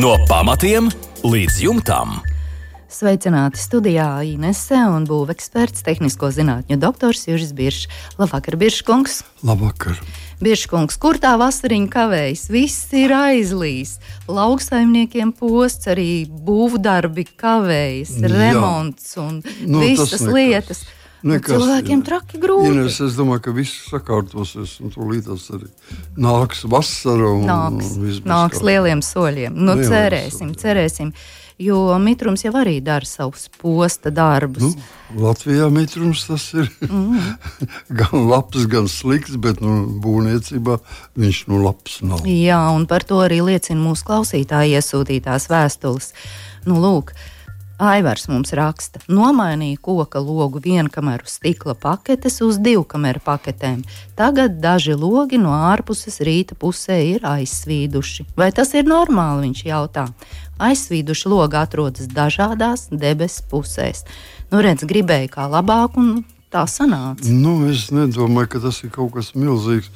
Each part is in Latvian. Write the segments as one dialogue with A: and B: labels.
A: No pamatiem līdz jumtam.
B: Sveicināti studijā Inese un būveksperts, tehnisko zinātņu doktors Juris Biršs. Labvakar, Birškungs.
C: Labvakar.
B: Birškungs, kur tā vasariņa kavējas? Viss ir aizlīs. Lauksaimniekiem posts, arī būvdarbi kavējas, remonts un visas lietas. Cilvēkiem traki grūti.
C: Ines, es domāju, ka viss sakārtosies un tūlītās arī nāks vasara un
B: nāks lieliem soļiem. Nu, cerēsim. Jo mitrums jau arī dara savus posta darbus.
C: Latvijā mitrums tas ir gan labs, gan slikts, bet būvniecībā viņš labs nav.
B: Jā, un par to arī liecina mūsu klausītāji iesūtītās vēstules. Lūk, Aivars mums raksta: nomainīja koka logu vienkameru stikla paketes uz divkameru paketēm. Tagad daži logi no ārpuses rīta pusē ir aizsvīduši. Vai tas ir normāli, viņš jautā. Aizsvīduši logi atrodas dažādās debesu pusēs. Redz, gribēju kā labāk, un tā sanāca.
C: Es nedomāju, ka tas ir kaut kas milzīgs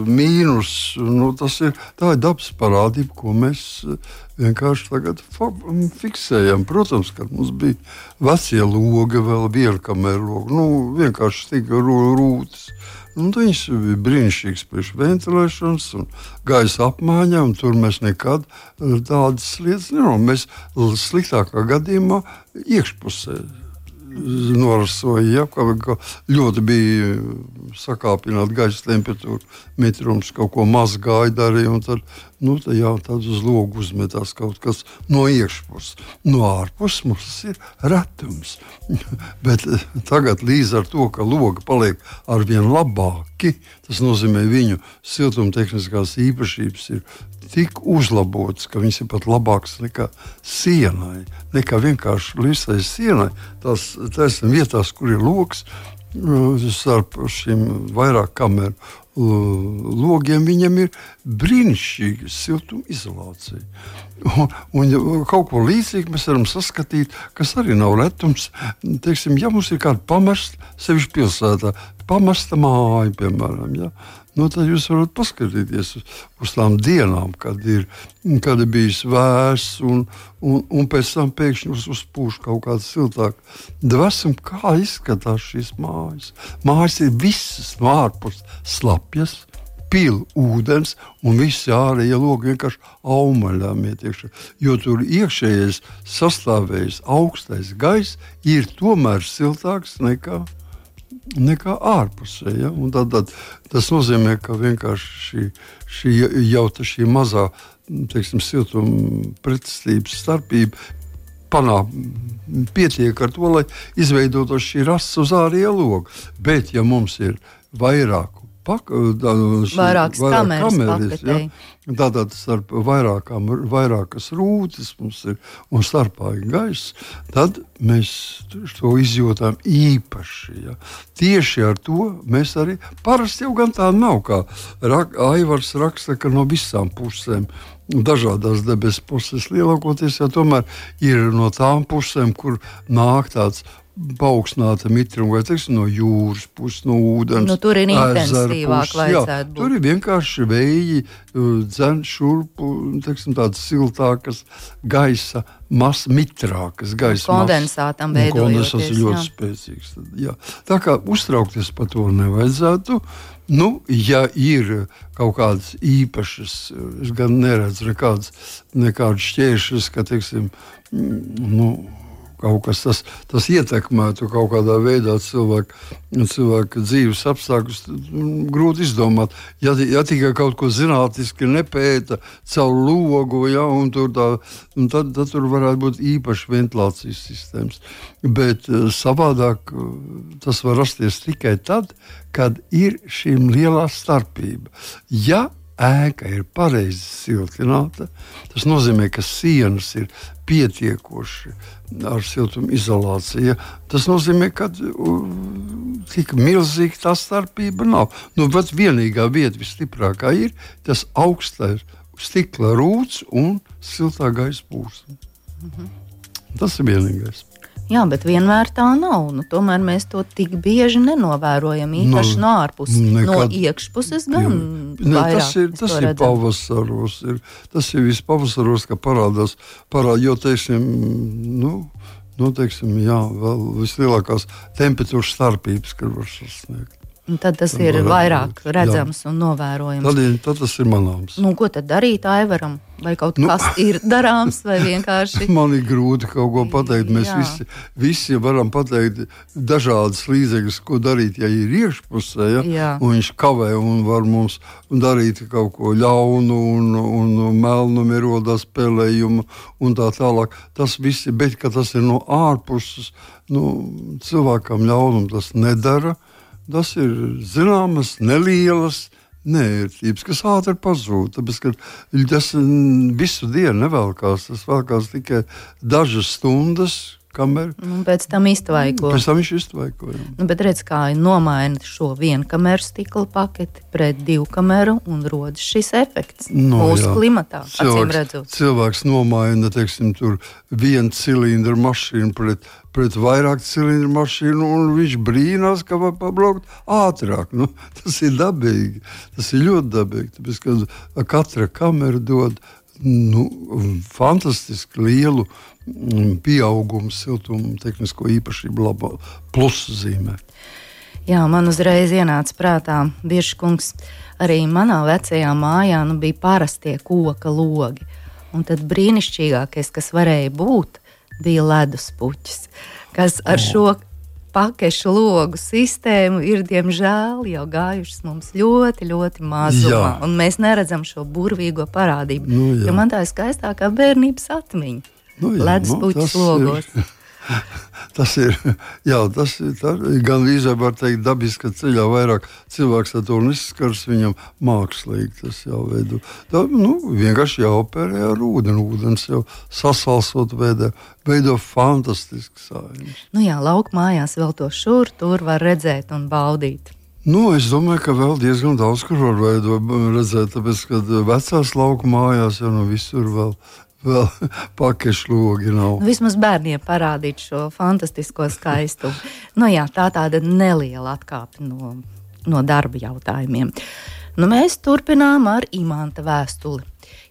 C: mīnus. Tā ir dabas parādība, ko mēs vienkārši tagad fiksējam. Protams, ka mums bija vecie logi, vēl vienkameru logi, vienkārši tika rūtas. Viņš bija brīnišķīgs priekš ventilēšanas un gaisa apmaiņā, un tur mēs nekad tādas lietas nevaram. Mēs sliktākā gadījumā iekšpusē norasoja, ka ļoti bija sakāpināta gaisa temperatūra, mitrums, kaut ko mazgāja darīja, un tad uz logu uzmetās kaut kas no iekšpuses. No ārpuses mums ir retums. Bet tagad līdz ar to, ka logi paliek arvien labāki, tas nozīmē viņu siltumtehniskās īpašības ir tik uzlabotas, ka viņas ir pat labākas nekā sienai, nekā vienkārši līsai sienai. Tās vietās, kur ir logs, starp šiem vairāk kameru logiem, viņam ir brīnišķīga siltumizolācija. Un kaut ko līdzīgu mēs varam saskatīt, kas arī nav retums. Teiksim, ja mums ir kāda pamesta, sevišķi pilsētā, pamesta māja, piemēram, tad jūs varat paskatīties uz tām dienām, kad ir bijis vēss un pēc tam pēkšņi uzpūš kaut kāda siltāka dvēsuma. Kā izskatās šīs mājas? Mājas ir visas no ārpuses slapjas, pil ūdens, un visi ārējie logi vienkārši aumaļām iet iekšā. Jo tur iekšējais sastāvējis augstais gaiss ir tomēr siltāks nekā ārpusē. Ja? Un tad tas nozīmē, ka vienkārši šī mazā, siltuma pretestības starpība pietiek ar to, lai izveidotos šī rasa uz ārējo logu. Bet, ja mums ir vairākas kameras, tātad starp vairākas rūtas mums ir un starpā ir gaiss, tad mēs to izjūtām īpaši. Ja. Tieši ar to mēs arī parasti jau gan tā nav, kā Aivars raksta, ka no visām pusēm, dažādās debesu puses lielākoties, tomēr ir no tām pusēm, kur nāk tāds paaugstināta mitruma, vai no jūras puses, no ūdens.
B: Tur ir intensīvāk vajadzētu būt.
C: Tur ir vienkārši vēji, dzen šurpu, tādas siltākas gaisa, mitrākas gaisa.
B: Kondensātam veidojoties.
C: Kondensāts ir ļoti spēcīgs. Jā. Tā kā uztraukties par to nevajadzētu. Ja ir kaut kādas īpašas, es gan neredzu nekādas šķēršļus, ka, kaut kas tas ietekmētu kaut kādā veidā cilvēka dzīves apstākļus, grūti izdomāt. Ja tikai kaut ko zinātniski nepēta caur logu, tad tur varētu būt īpaši ventilācijas sistēmas. Bet savādāk tas var rasties tikai tad, kad ir šī lielā starpība. Ja ēka ir pareizi siltināta, tas nozīmē, ka sienas ir pietiekoši ar siltumizolāciju. Tas nozīmē, ka tik milzīga tā starpība nav. Bet vienīgā vieta visstiprākā ir tas augstais stikla rūts un siltā gaisa plūsma. Tas ir vienīgais.
B: Jā, bet vienmēr tā nav. Tomēr mēs to tik bieži nenovērojam, īpaši no ārpuses. No iekšpuses gan vairāk.
C: Tas ir pavasaros. Tas ir viss pavasaros, ka parādās, jo, teiksim, vēl vislielākās temperatūras starpības, kad var sasniegt.
B: Un tad tas ir vairāk redzams un novērojams.
C: Tad tas ir manāms.
B: Ko tad darīt Aivaram? Vai kaut kas ir darāms, vai vienkārši?
C: Man ir grūti kaut ko pateikt. Mēs visi varam pateikt dažādas līdzekļus, ko darīt, ja ir iekšpusē, un viņš kavē un var mums darīt kaut ko ļaunu un melnu ierodās spēlējumu un tā tālāk. Tas viss ir, bet ka tas ir no ārpuses, cilvēkam ļaunum tas nedara. Tas ir zināmas, nelielas nērtības, kas ātri pazūd. Tāpēc, ka tas visu dienu nevelkās. Tas velkās tikai dažas stundas, kamēr.
B: Pēc tam iztvaiko.
C: Pēc tam viņš iztvaiko.
B: Bet redz, kā nomaina šo vienkameru stikla paketi pret divkameru un rodas šis efekts mūsu klimatā.
C: Cilvēks nomaina, teiksim, tur vienu cilindru mašīnu pret vairāk cilindru mašīnu, un viņš brīnās, ka var pabraukt ātrāk. Tas ir dabīgi. Tas ir ļoti dabīgi. Tāpēc, ka katra kamera dod fantastiski lielu pieaugumu siltumu tehnisko īpašību plusu zīmē.
B: Jā, man uzreiz ienāca prātā, Biržkungs, arī manā vecajā mājā bija parastie koka logi. Un tad brīnišķīgākais, kas varēja būt, bija leduspuķis, kas ar šo pakešu logu sistēmu ir, diemžēl, jau gājušas mums ļoti, ļoti mazumā. Un mēs neredzam šo burvīgo parādību. Jo man tā ir skaistākā bērnības atmiņa. Leduspuķis logos.
C: Tas ir gan vīzē var teikt dabiski, ka ceļā vairāk cilvēks ar to nesaskars, viņam mākslīgi tas jāveido. Vienkārši jāoperē ar ūdeni. Ūdens jau sasalsot veido fantastisks sājumus.
B: Lauku mājās vēl to šur, tur var redzēt un baudīt.
C: Es domāju, ka vēl diezgan daudz, kur var redzēt, tāpēc, ka vecās lauku mājās jau visur vēl pakešu logi nav.
B: Vismaz bērniem parādīt šo fantastisko skaistumu. Tā tāda neliela atkāpe no darba jautājumiem. Mēs turpinām ar Imanta vēstuli.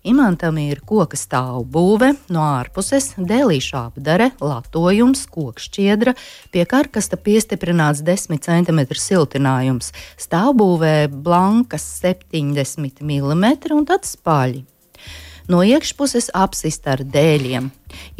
B: Imantam ir koka stāvbūve, no ārpuses dēlīša apdare, latojums, kokšķiedra, pie karkasta piestiprināts 10 cm siltinājums, stāvbūvē blankas 70 mm un tad spaļi. No iekšpuses apsista ar dēļiem.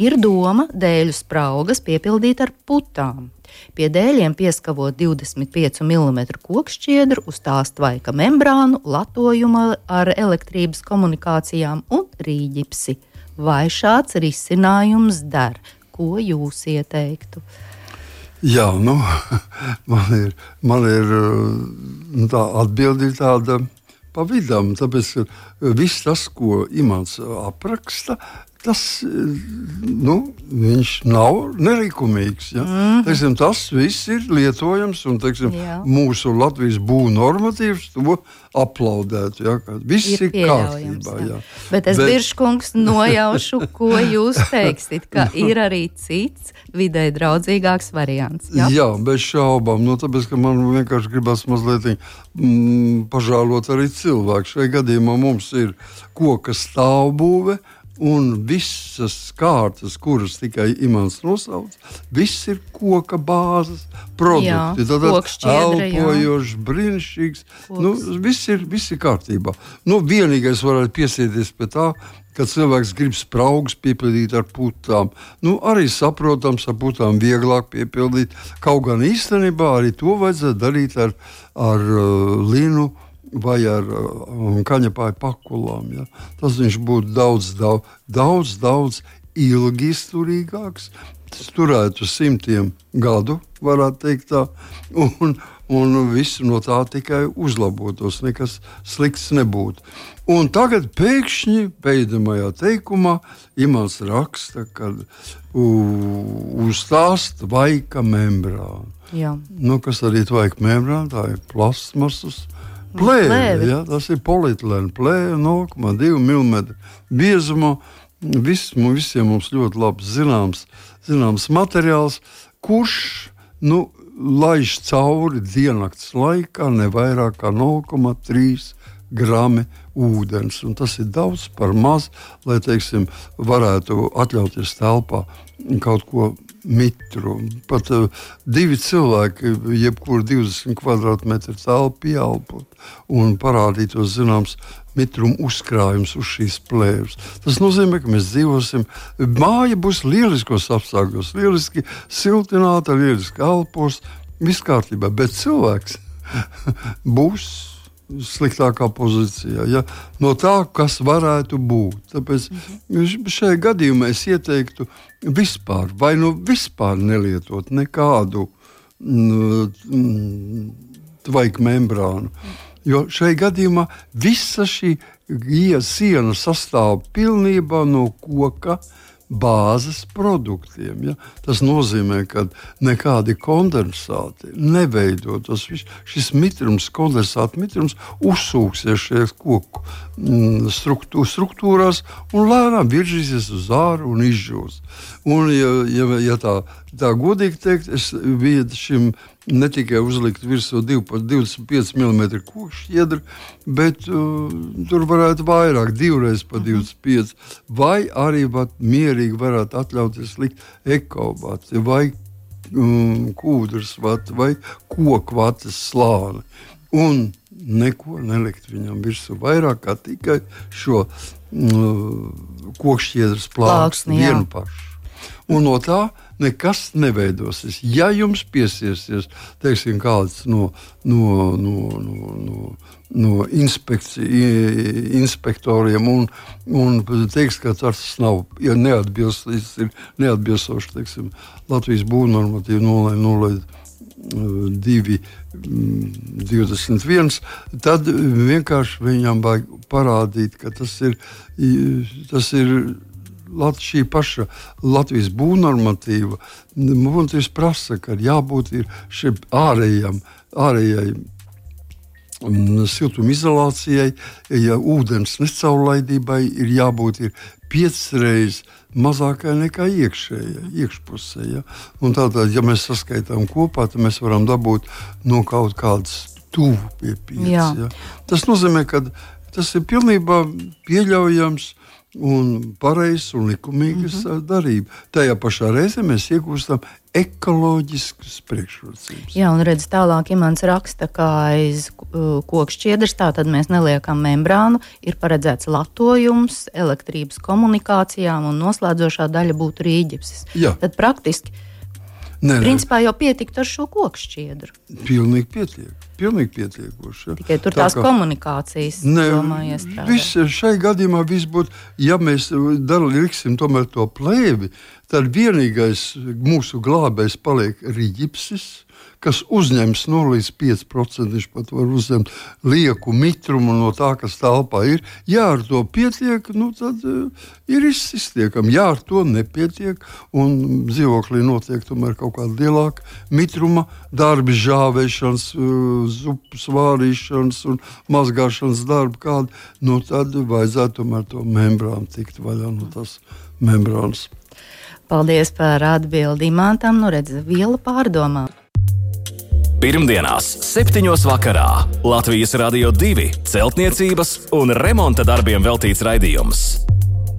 B: Ir doma dēļu spraugas piepildīt ar putām. Pie dēļiem pieskavot 25 mm kokšķiedru, uz tās tvaika membrānu, latojumu ar elektrības komunikācijām un rīģipsi. Vai šāds risinājums der? Ko jūs ieteiktu?
C: Jā, man ir tā atbildi tāda pa vidam, tāpēc, ka viss tas, ko Imants apraksta, tas, viņš nav nelikumīgs. Ja? Teiksim, tas viss ir lietojams, un mūsu Latvijas būvnormatīvs to aplaudētu. Ja? Viss ir kārtībā. Jā.
B: Bet es, Biržkungs, nojaušu, ko jūs teiksit, ka ir arī cits vidē draudzīgāks variants.
C: Jā, bez šaubām. Tāpēc, ka man vienkārši gribas mazliet pažālot arī cilvēku. Šajā gadījumā mums ir koka stāvbūve, un visas kārtas, kuras tikai Imants nosauc, viss ir koka bāzes produkti. Tad elpojošs, brīnišķīgs. Viss ir kārtībā. Vienīgais varētu piesieties pie tā, kad cilvēks grib spraugas piepildīt ar putām. Arī saprotams, ar putām vieglāk piepildīt. Kaut gan īstenībā arī to vajadzētu darīt ar linu vai ar kaņepāju pakulām. Ja? Tas viņš būtu daudz ilgi izturīgāks. Tas turētu 100 gadu, varētu teikt tā, un viss no tā tikai uzlabotos, nekas slikts nebūtu. Un tagad pēkšņi pēdējā teikumā Imants raksta, ka uz tās tvaika membrāna. Kas arī tvaika membrāna, tā ir plasmasas plēve. Ja? Tas ir polietilēna plēve, 0,2 mm biezumā. visiem mums ļoti labi zināms materiāls, kurš laiž cauri diennakts laikā ne vairāk kā 0,3 grami ūdens. Un tas ir daudz par maz, lai, teiksim, varētu atļauties telpā kaut ko mitru. Pat 2 cilvēki, jebkur 20 kvadrātmetru telpu pieelpot un parādītos zināms mitruma uzkrājums uz šīs plēves. Tas nozīmē, ka mēs dzīvosim, māja būs lieliskos apstākļos, lieliski siltināta, lieliski elpos, viss kārtībā, bet cilvēks būs sliktākā pozīcijā, ja? No tā, kas varētu būt. Tāpēc šajā gadījumā es ieteiktu vispār vispār nelietot nekādu tvaiku membrānu. Jo šajā gadījumā visa šī siena sastāv pilnībā no koka bāzes produktiem. Ja? Tas nozīmē, ka nekādi kondensāti neveidotos. Šis mitrums, kondensāta mitrums uzsūksies šajās koku struktūrās un lēnām virzīsies uz āru un izžūs. Un, ja tā godīgi teikt, es biju šim ne tikai uzlikt virsū 25 mm kokšķiedru, bet tur varētu vairāk, 2 pa 25, vai arī mierīgi varētu atļauties likt ekovati, vai kūdras vati, vai kokvates slāni. Un neko nelikt viņam virsū vairāk kā tikai šo kokšķiedras plāksni vienu pašu. Un no tā nekas neveidosies. Ja jums piesiesies, teiksim, kāds no inspektoriem un teiks, ka tas nav neatbilstoši, teiksim, Latvijas būvnormatīvu 0,0221, tad vienkārši viņam vajag parādīt, ka tas ir šī paša Latvijas būvnormatīva. Būtības prasa, ka jābūt šim ārējai siltumizolācijai, ja ūdens necaurlaidībai ir jābūt 5 reizes mazākai nekā iekšpusē. Ja? Un tātad, ja mēs saskaitām kopā, tad mēs varam dabūt no kaut kādas tuvu pie 5. Ja? Tas nozīmē, ka tas ir pilnībā pieļaujams un pareizs un likumīgas darība. Tajā pašā reizē mēs iegūstam ekoloģiskas priekšrocības.
B: Jā, un redz tālāk, Imants raksta, kā aiz kokšķiedras, tātad mēs neliekam membrānu, ir paredzēts latojums, elektrības komunikācijām un noslēdzošā daļa būtu rīģipsis.
C: Jā.
B: Tad praktiski, principā jau pietikt ar šo kokšķiedru.
C: Pilnīgi pietiekoši. Ja.
B: Tikai tur tās komunikācijas domājies strādāt.
C: Šai gadījumā viss būtu, ja mēs liksim tomēr to plēvi, tad vienīgais mūsu glābējs paliek rīģipsis, kas uzņems līdz 5%, viņš pat var uzņemt lieku mitrumu no tā, kas telpā ir. Ja ar to pietiek, tad ir iztiekami. Ja ar to nepietiek un dzīvoklī notiek tomēr kaut kāda lielāka mitruma darbi, žāvēšanas, zupas vārīšanas un mazgāšanas darbi kādi, tad vajadzētu tomēr to membrānu tikt vaļā no tās membrānas.
B: Paldies par atbildi Imantam. Redz, viela pārdomā.
A: Pirmdienās 7. vakarā Latvijas Radio 2 celtniecības un remonta darbiem veltīts raidījums.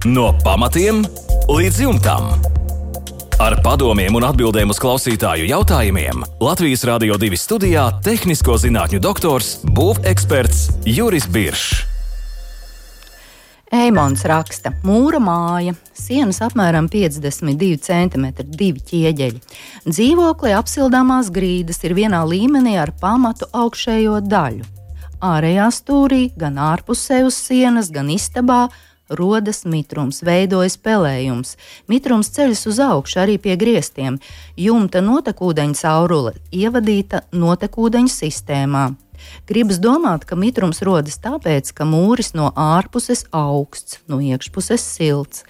A: No pamatiem līdz jumtam. Ar padomiem un atbildēm uz klausītāju jautājumiem Latvijas Radio 2 studijā tehnisko zinātņu doktors, būveksperts Juris Biršs.
B: Eimons raksta, mūra māja, sienas apmēram 52 cm, 2 ķieģeļi. Dzīvoklī apsildāmās grīdas ir vienā līmenī ar pamatu augšējo daļu. Ārējā stūrī, gan ārpusē uz sienas, gan istabā rodas mitrums, veidojas pelējums. Mitrums ceļas uz augšu arī pie griestiem. Jumta notekūdeņa caurule ievadīta notekūdeņa sistēmā. Gribas domāt, ka mitrums rodas tāpēc, ka mūris no ārpuses augsts, no iekšpuses silts.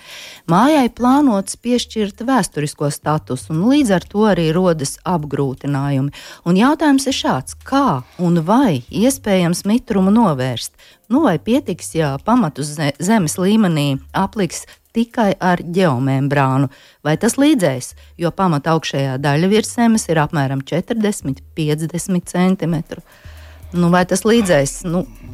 B: Mājai plānots piešķirt vēsturisko statusu, un līdz ar to arī rodas apgrūtinājumi. Un jautājums ir šāds, kā un vai iespējams mitrumu novērst? Vai pietiks, ja pamatu zemes līmenī apliks tikai ar ģeomembrānu, vai tas līdzēs, jo pamata augšējā daļa virs zemes ir apmēram 40–50 centimetru. Vai tas līdzēs?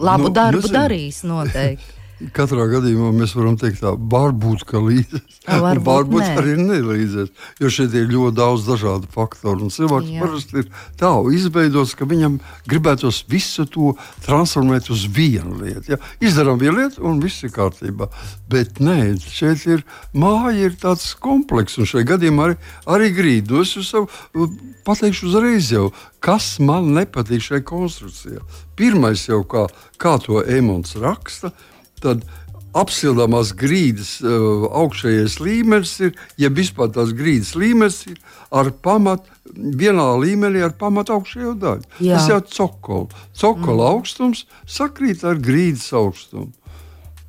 B: Labu darbu darīs noteikti.
C: Katrā gadījumā mēs varam teikt tā, varbūt, ka līdzēs, varbūt arī nelīdzēs, jo šeit ir ļoti daudz dažādu faktoru, un cilvēks parasti ir tā izveidots, ka viņam gribētos visu to transformēt uz vienu lietu. Ja? Izdarām vienu lietu, un viss ir kārtībā. Bet nē, šeit ir māja ir tāds komplekss, un šajā gadījumā arī grīdu. Es sev pateikšu uzreiz jau, kas man nepatīk šajā konstrukcijā. Pirmais jau, kā to Emons raksta, tad apsildāmās grīdas augšējais līmenis ir, ja vispār tās grīdas līmenis ir ar pamatu, vienā līmenī ar pamatu augšējo daļu. Jā. Tas jau cokola. Cokola augstums sakrīt ar grīdas augstumu.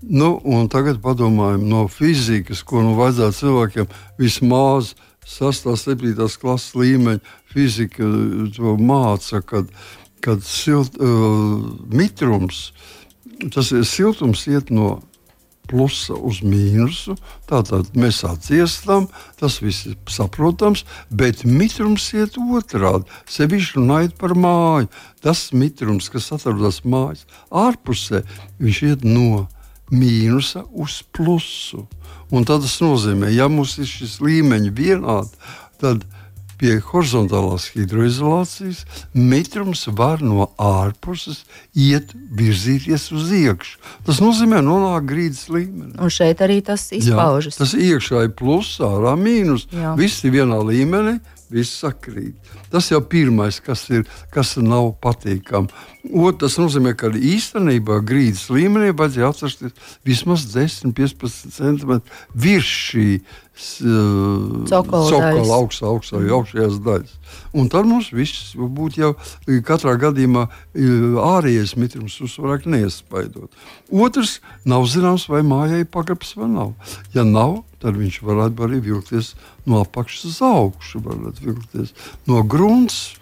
C: Un tagad padomājam no fizikas, ko vajadzētu cilvēkiem vismaz 6. 7. klases līmeņa fizika to māca, kad mitrums, tas ir siltums iet no plusa uz mīnusu, tātad mēs atdziestam, tas viss ir saprotams, bet mitrums iet otrādi, sevišķi runājot par māju. Tas mitrums, kas atrodas mājas ārpusē, viņš iet no mīnusa uz plusu. Un tad tas nozīmē, ja mums ir šis līmeņi vienādi, tad pie horizontālās hidroizolācijas mitrums var no ārpuses virzīties uz iekšu. Tas nozīmē nonāk grīdas līmenī.
B: Un šeit arī tas izpaužas.
C: Jā, tas iekšā ir pluss, ārā mīnus. Jā. Viss ir vienā līmenī, viss sakrīt. Tas jau pirmais, kas nav patīkami. Tas nozīmē, ka īstenībā grīdas līmenī vajadzēja atrasties vismaz 10–15 cm virs šī cokola augšējās daļas. Un tad mums viss būtu jau katrā gadījumā ārējais mitrums uzvarāk neiespaidot. Otrs, nav zināms, vai mājai pagrabs vai nav. Ja nav, tad viņš varētu arī vilkties no apakšas uz augšu, varētu vilkties no grunts.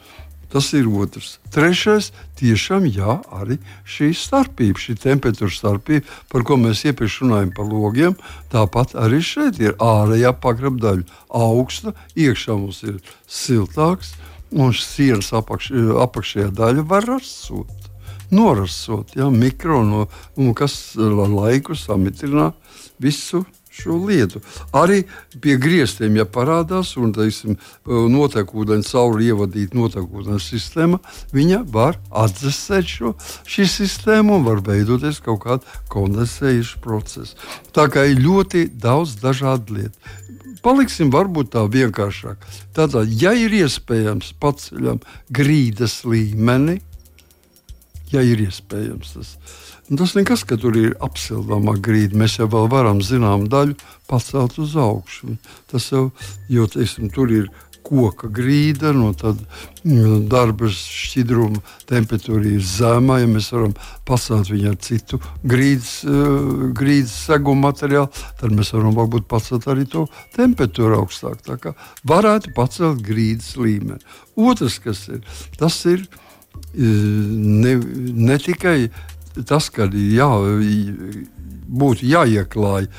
C: Tas ir otrs. Trešais, tiešām arī šī starpība, šī temperatūra starpība, par ko mēs iepriekš runājam par logiem, tāpat arī šeit ir ārējā pagraba daļa augsta, iekšā mums ir siltāks, un sienas apakšējā daļa var norasot, mikro, un kas laiku samitrina visu šo lietu. Arī pie griestiem, ja parādās un, notekūdeņu cauri ievadīt notekūdeņu sistēma, viņa var atdzesēt šī sistēma un var veidoties kaut kāda kondensējuša procesa. Tā kā ir ļoti daudz dažādu lietu. Paliksim varbūt tā vienkāršāk. Tātad, ja ir iespējams paceļam grīdas līmeni, ja ir iespējams tas. Tas nekas, ka tur ir apsildāmā grīda. Mēs jau vēl varam zinām daļu pacelt uz augšu. Tas jau, jo tur ir koka grīda, tad darba šķidruma temperatūra ir zemā, ja mēs varam pacelt viņu ar citu grīdas seguma materiālu, tad mēs varam varbūt pacelt arī to temperatūru augstāk. Tā kā varētu pacelt grīdas līmeni. Otrs, kas ir, tas ir ne tikai tas, ka būtu jāieklāj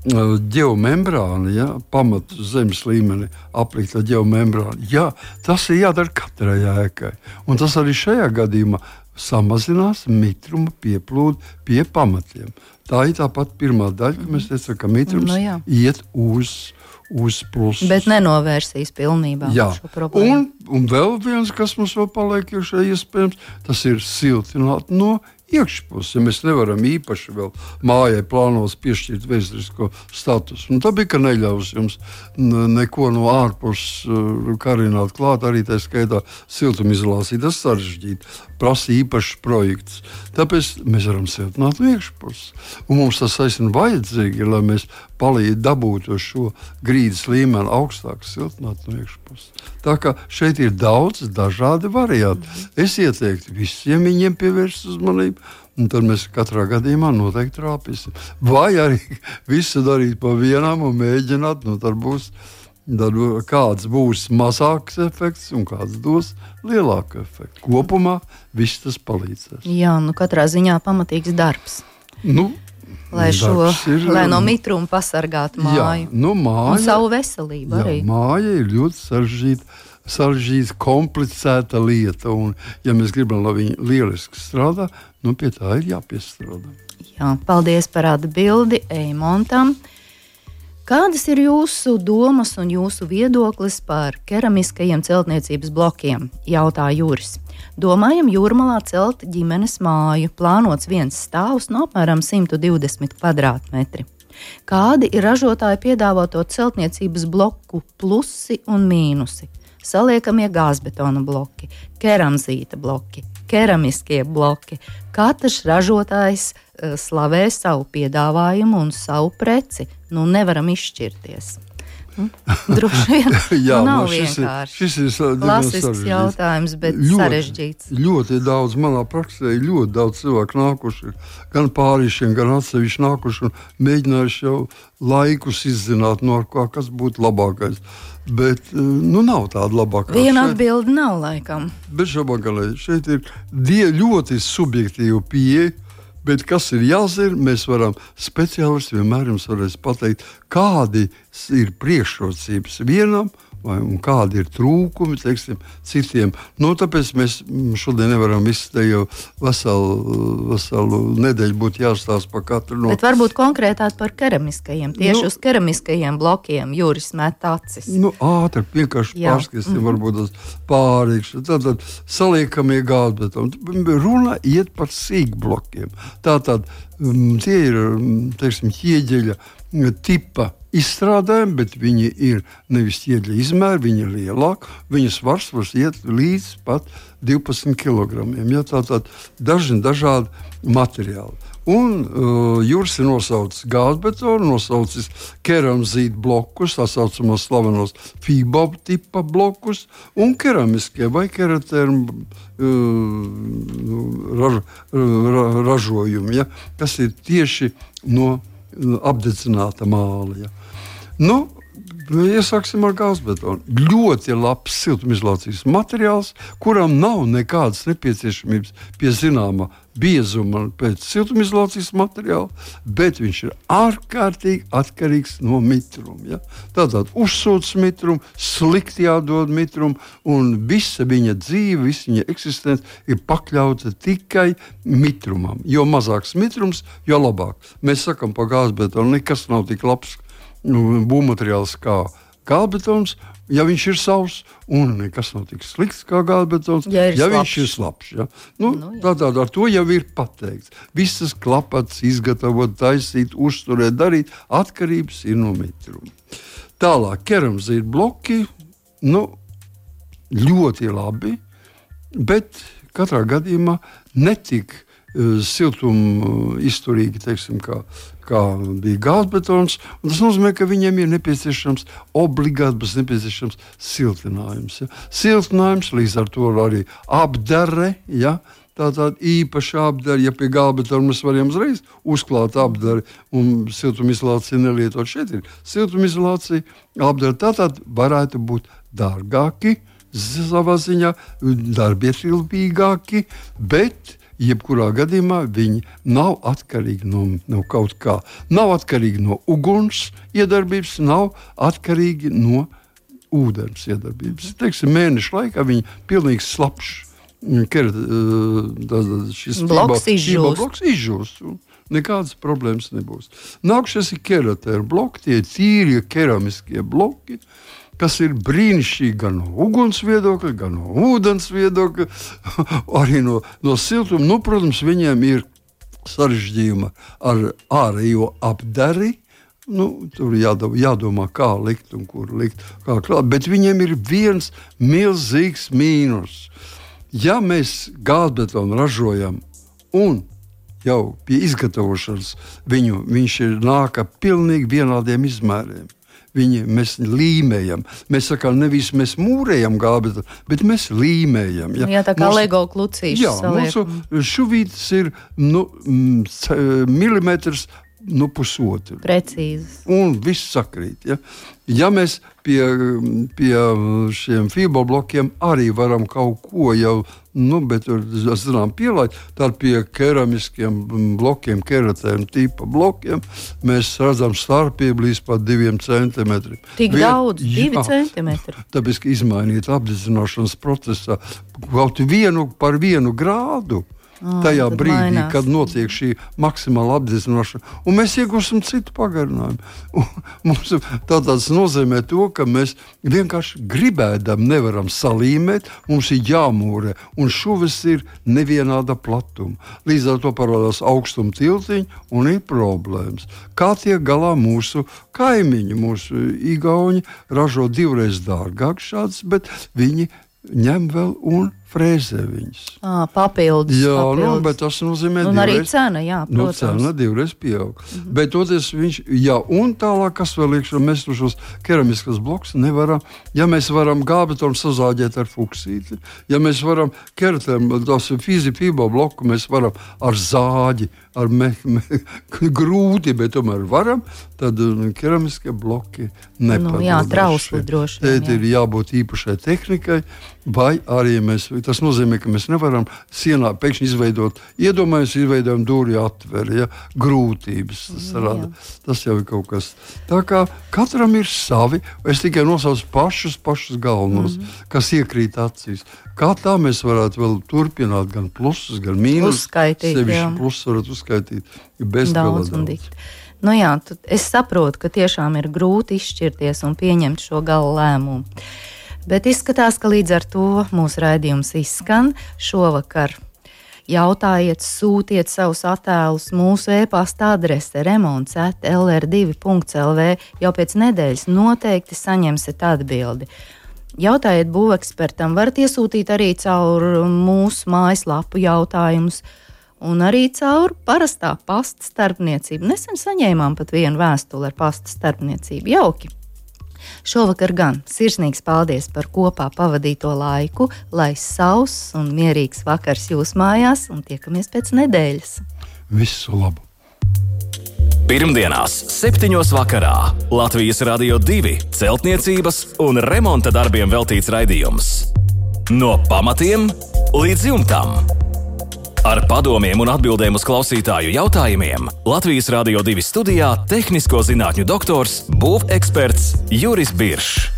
C: ģeomembrāna, pamatu zemes līmenī aplikt ar ģeomembrānu. Jā, tas ir jādara katrai ēkai. Un tas arī šajā gadījumā samazinās mitruma pieplūdu pie pamatiem. Tā ir tāpat pirmā daļa, ka mēs teicām, ka mitrums iet uz plusu.
B: Bet nenovērsīs pilnībā šo problēmu.
C: Un vēl viens, kas mums vēl paliek iekšā iespējams, tas ir siltināt no iekšpus, ja mēs nevaram īpaši vēl mājai plānos piešķirt vēsturisko statusu. Tā bija, ka neļaus jums neko no ārpus karināt klāt, arī tā skaitā siltumizolācija. Tas sarežģīti, prasa īpašs projekts. Tāpēc mēs varam siltināt no iekšpus. Un mums tas aizvien vajadzīgi, lai mēs dabūtu šo grīdas līmeni augstāk siltināt no iekšpus. Tā kā šeit ir daudz dažādi varianti. Es ieteiktu visiem viņiem pievērst uzmanību, un tad mēs katrā gadījumā noteikti trāpīsim. Vai arī visu darīt pa vienam un mēģināt, tad kāds būs mazāks efekts un kāds dos lielāku efektu. Kopumā viss tas palīdzēs.
B: Jā, katrā ziņā pamatīgs darbs. Lai no mitruma pasargātu māju.
C: Māja,
B: un savu veselību arī.
C: Māja ir ļoti sarežģīta, komplicēta lieta. Un, ja mēs gribam, lai viņa lieliski strādā, pie tā ir jāpiestrādā.
B: Jā, paldies par atbildi Eimontam. Kādas ir jūsu domas un jūsu viedoklis par keramiskajiem celtniecības blokiem? Jautā Juris. Domājam Jūrmalā celt ģimenes māju, plānots viens stāvs no apmēram 120 kvadrātmetri. Kādi ir ražotāju piedāvāto celtniecības bloku plusi un mīnusi? Saliekamie gāzbetona bloki, keramzīta bloki, keramiskie bloki. Katrs ražotājs slavē savu piedāvājumu un savu preci. Nevaram izšķirties. Droši vien nav vienkārši.
C: Šis ir
B: klasisks jautājums, bet sarežģīts.
C: Ļoti daudz manā praksē, ļoti daudz cilvēku nākuši, gan pārīšiem, gan atsevišķi nākuši un mēģinājuši jau laikus izzināt, no kas būtu labākais. Bet nav tāda labākā.
B: Viena atbilde nav laikam.
C: Bet šeit ir ļoti subjektīva pieeja. Bet kas ir jāzina, mēs varam speciālisti vienmēr jums varēs pateikt, kādi ir priekšrocības vienam un kādi ir trūkumi, citiem. Tāpēc mēs šodien nevaram visu te jau veselu nedēļu būt jāstāsta par katru no.
B: Bet varbūt konkrētāk par keramiskajiem, uz keramiskajiem blokiem Juris met acis.
C: Ātri, vienkārši pārskatīsim, varbūt tas pārīkšķi. Tātad saliekamie gāzbetoni. Runa iet par sīkblokiem. Tātad tie ir, ķieģeļa tipa izstrādājumi, bet viņi ir nevis ķieģeļa izmēri, viņi ir lielāki. Viņu svars var iet līdz pat 12 kilogramiem. Tātad dažādi materiāli. Un Juris ir nosaucis gāzbetonu, nosaucis keramzīta blokus, tā saucamos slavenos FIBO tipa blokus, un keramiskie vai keratērmu ražojumi, kas ir tieši no apdedzināta māla. Iesāksim ar gāzbetonu. Ļoti labs siltumizolācijas materiāls, kuram nav nekādas nepieciešamības pie zināma biezuma pēc siltumizolācijas materiāla, bet viņš ir ārkārtīgi atkarīgs no mitruma. Tātad uzsūc mitrumu, slikti jādod mitrumu, un visa viņa dzīve, visa viņa eksistence ir pakļauta tikai mitrumam. Jo mazāks mitrums, jo labāk. Mēs sakam par gāzbetonu, nekas nav tik labs būvmateriāls kā gāzbetons, ja viņš ir savs, un nekas nav tik slikts kā gāzbetons, ja viņš ir slapjš. Tātad ar to jau ir pateikts. Visas klapats, izgatavot, taisīt, uzturēt, darīt, atkarības ir no mitruma. Tālāk, keramzīta bloki, ļoti labi, bet katrā gadījumā netik siltumu izturīgi, kā bija gāzbetons. Tas nozīmē, ka viņiem ir nepieciešams obligāti nepieciešams siltinājums. Siltinājums, līdz ar to arī apdare, tātad īpaši apdare, ja pie gāzbetona mēs varam uzreiz uzklāt apdari un siltumizolāciju nelietot. Šeit ir siltumizolācija, apdare, tātad varētu būt dārgāki, savā ziņā darbietilpīgāki, bet jebkurā gadījumā viņi nav atkarīgi no kaut kā. Nav atkarīgi no uguns iedarbības, nav atkarīgi no ūdens iedarbības. Mēnešu laikā viņi pilnīgi slapjš. Šis bloks izžūst. Nekādas problēmas nebūs. Nākušies ir keratēru bloki, tie ir tīrie keramiskie bloki. kas ir brīnišķīgi gan no uguns viedokļa, gan no ūdens viedokļa, arī no siltuma. Nu, protams, viņiem ir sarežģījuma ar ārējo apdari. Tur jādomā, kā likt un kur likt, kā klāt. Bet viņiem ir viens milzīgs mīnus. Ja mēs gāzbetonu ražojam un jau pie izgatavošanas viņš nāk ar pilnīgi vienādiem izmēriem. Mēs līmējam. Mēs sakām, nevis mēs mūrējam gābetonu, bet mēs līmējam. Ja?
B: Jā, tā kā Lego klucīši saliek.
C: Mūsu šuvītes ir milimetrs, pusotru.
B: Precīzi.
C: Un viss sakrīt. Ja mēs pie šiem fiberblokiem arī varam kaut ko jau, bet pielaist, tad pie keramiskiem blokiem, keratēm tipa blokiem, mēs redzam starpību līdz pat 2 centimetriem.
B: Tik daudz, 2 centimetri.
C: Tāpēc, ka izmainīt apdedzināšanas procesā kaut par 1 grādu. Tajā brīdī, mainās. Kad notiek šī maksimāla apdedzināšana, un mēs iegūsim citu pagarinājumu. Tas nozīmē to, ka mēs vienkārši gribēdam nevaram salīmēt, mums ir jāmūrē, un šuvis ir nevienāda platuma. Līdz ar to parādās augstuma tiltiņi, un ir problēmas. Kā tiek galā mūsu kaimiņi, mūsu igauņi ražo 2 reizes dārgāk šāds, bet viņi ņem vēl un frēzē viņas.
B: Papildus.
C: Jā, bet tas nozīmē
B: un arī cena, jā, protams.
C: Cena 2 reizes pieaug. Bet toties un tālāk, kas vēl iekšā, mēs šos keramiskas blokus nevaram, ja mēs varam gābetonu sazāģēt ar fuksīti, ja mēs varam keratēm, tās fizifibo bloku, mēs varam ar zāģi, ar grūti, bet tomēr varam, tad keramiskie bloki nepadod.
B: Jā, trausli droši.
C: Tēt ir jābūt īpašai tehnikai, vai arī tas nozīmē, ka mēs nevaram sienā pēkšņi izveidojam dūri atveri, grūtības tas rada. Tas jau ir kaut kas. Tā kā katram ir savi, es tikai nosaucu pašus galvenos, kas iekrīt acīs. Kā tā mēs varētu vēl turpināt gan plusus, gan mīnus.
B: Uzskaitīt, jā.
C: Plusus varat uzskaitīt bez
B: daudz. Es saprotu, ka tiešām ir grūti izšķirties un pieņemt šo gala lēmumu. Bet izskatās, ka līdz ar to mūsu raidījums izskan. Šovakar jautājiet, sūtiet savus attēlus mūsu e-pasta adrese remonts@lr2.lv. Jau pēc nedēļas noteikti saņemsiet atbildi. Jautājiet būvekspertam, varat iesūtīt arī caur mūsu mājaslapu jautājumus un arī caur parastā pasta starpniecību. Nesen saņēmām pat vienu vēstuli ar pasta starpniecību. Jauki! Šovakar gan sirsnīgs paldies par kopā pavadīto laiku, lai sauss un mierīgs vakars jūs mājās un tiekamies pēc nedēļas.
C: Visu labu!
A: Pirmdienās 7. vakarā Latvijas Radio 2 celtniecības un remonta darbiem veltīts raidījums. No pamatiem līdz jumtam. Ar padomiem un atbildēm uz klausītāju jautājumiem Latvijas Radio 2 studijā tehnisko zinātņu doktors, būveksperts Juris Biršs.